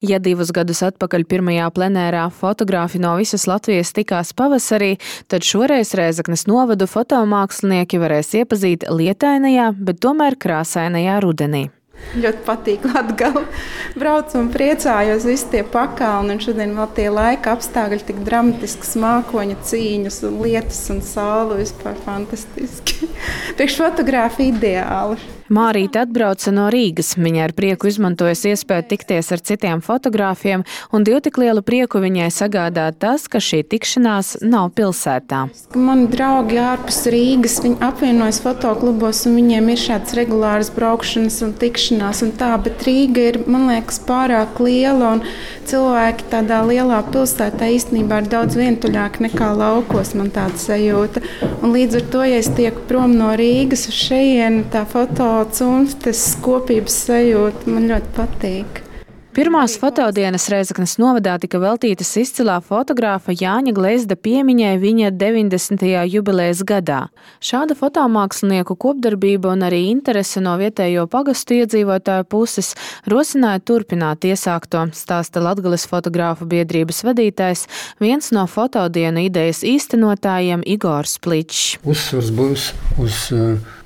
Ja 2 gadus atpakaļ pirmajā plenērā fotogrāfi no visas Latvijas tikās pavasarī, tad šoreiz Rēzeknes novadu fotomākslinieki varēs iepazīt lietainajā, bet tomēr krāsainajā rudenī. Ļoti patīk Latgale. Braucu un priecājos, visi tie pakalni, un šodien vēl tie laika apstākļi tik dramatisks, mākoņa cīņas un lietus un saule vispār fantastiski. Priekšfotogrāfi ideāli. Mārīte atbrauca no Rīgas. Viņa ar prieku izmantojas iespēju tikties ar citiem fotogrāfiem, un divu tik lielu prieku viņai sagādā tas, ka šī tikšanās nav pilsētā. Mani draugi ārpus Rīgas, viņi apvienojas fotoklubos, un viņiem ir šāds regulārs braukšanas un tikšanās un tā, bet Rīga ir, man liekas, pārāk liela, un cilvēki tādā lielā pilsētā īstenībā ir daudz vientuļāki nekā laukos, man tāda sajūta. Un līdz ar to, ja es tieku prom no Rīgas uz šejienu, tā tas kopības sajūta man ļoti patīk. Pirmās fotodienas Rēzeknes novadā tika veltītas izcilā fotogrāfa Jāņa Glezda piemiņai viņa 90. jubilejas gadā. Šāda fotomākslinieku kopdarbība un arī interese no vietējo pagastu iedzīvotāju puses rosināja turpināt iesākto, stāsta Latgales fotogrāfu biedrības vadītājs, viens no fotodienu idejas īstenotājiem Igors Pličs. Uzsvars būs uz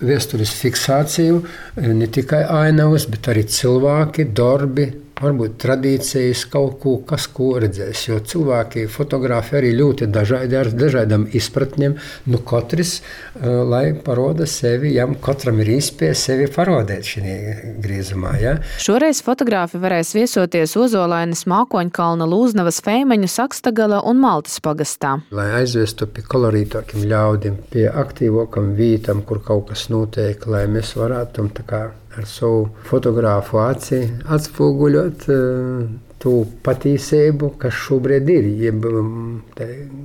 vēstures fiksāciju, ne tikai ainavas, bet arī cilvēki, darbi, varbūt tradīcijas, kaut ko, kas ko redzēs, jo cilvēki, fotografi arī ļoti dažādi ar dažādām izpratņiem, katrs, lai paroda sevi, jām katram ir iespēja sevi parodēt šī griezumā. Ja? Šoreiz fotogrāfi varēs viesoties Ozolainas, Mākoņkalna, Lūznavas, Feimeņu, Sakstagala un Maltas pagastā. Lai aizvestu pie kolorītākiem ļaudiem, pie aktīvākam vītam, kur kaut kas notiek, lai mēs varētu tā kā ar savu fotogrāfu aci atspoguļot to patiesību, kas šobrīd ir, jeb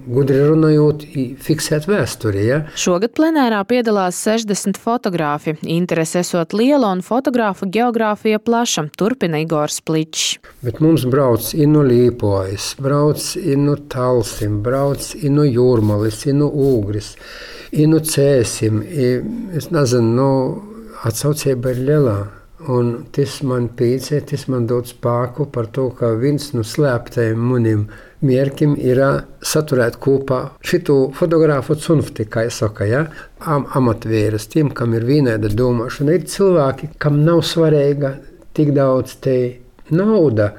gudri runājot, fiksēt vēsturi. Ja? Šogad plenērā piedalās 60 fotogrāfi. Interese esot liela un fotogrāfu geogrāfija plaša, turpina Igors Pličs. Bet mums brauc i no Līpojas, brauc i no Talsim, brauc i no Jūrmalis, i no Ūgris, i no Cēsim, es nezinu, atsaucība ir lielā, un tas man pīcē, tas man dod spēku par to, ka viens no slēptajiem manim mierkiem ir saturēt kopā šitu fotogrāfu cunfti, kā es saka, ja? Amatvērus, tiem, kam ir vienāda domāšana. Ir cilvēki, kam nav svarīga tik daudz te nauda,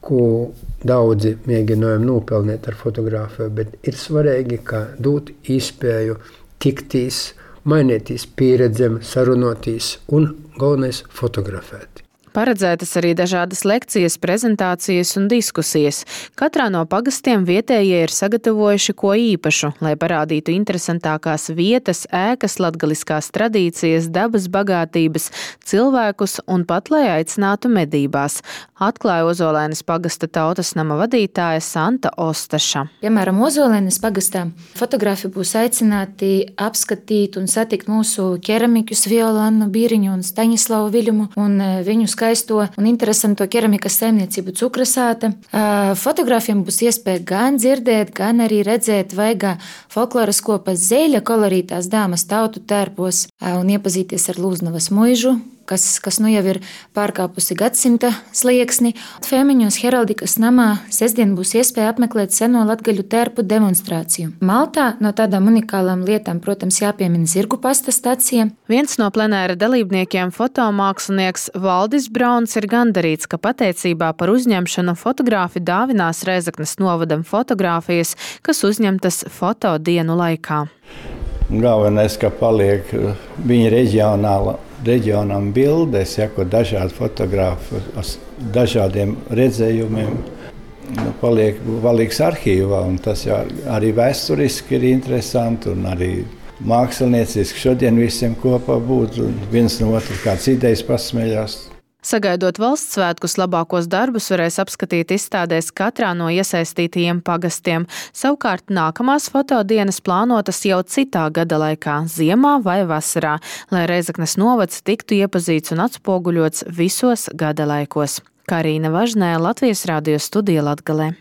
ko daudzi mēģinājumi nopelnīt ar fotogrāfiju, bet ir svarīgi, ka dot iespēju tiktīs, mainīties pieredzēm, sarunotīs un galvenais fotografēt. Paredzētas arī dažādas lekcijas, prezentācijas un diskusijas. Katrā no pagastiem vietējie ir sagatavojuši ko īpašu, lai parādītu interesantākās vietas, ēkas, latgaliskās tradīcijas, dabas bagātības, cilvēkus un pat, lai aicinātu medībās, atklāja Ozolainas pagasta tautas nama vadītāja Santa Ostaša. Piemēram, Ozolainas pagastā fotografi būs aicināti apskatīt un satikt mūsu keramikus Violannu Bīriņu un Staņislavu Viļumu un viņu skaisto un interesanto keramikas saimniecību Cukrasāta. Fotogrāfiem būs iespēja gan dzirdēt, gan arī redzēt vaigā folkloras kopas Zeļa kolorītās dāmas tautu tērpos un iepazīties ar Lūznavas muižu, kas nu jau ir pārkāpusi gadsimta slieksni. Feimeņos Heraldikas namā sestdien būs iespēja apmeklēt seno latgaļu tērpu demonstrāciju. Maltā no tādām unikālām lietām, protams, jāpiemina Zirgu pasta stacija. Viens no plenēra dalībniekiem, fotomākslinieks Valdis Brauns, ir gandarīts, ka pateicībā par uzņemšanu fotogrāfi dāvinās Rēzeknes novadam fotogrāfijas, kas uzņemtas fotodienu laikā. Galvenais, ka paliek viņa reģionām bildes, ko dažādi fotografi ar dažādiem redzējumiem paliks arhīvā. Un tas arī vēsturiski ir interesanti un arī mākslinieciski šodien visiem kopā būt un viens no otru kāds idejas pasmējās. Sagaidot valsts svētkus, labākos darbus varēs apskatīt izstādēs katrā no iesaistītajiem pagastiem. Savukārt nākamās fotodienas plānotas jau citā gada laikā, ziemā vai vasarā, lai Rēzeknes novads tiktu iepazīts un atspoguļots visos gada laikos. Karīna Važnē, Latvijas radio studija Latgalē.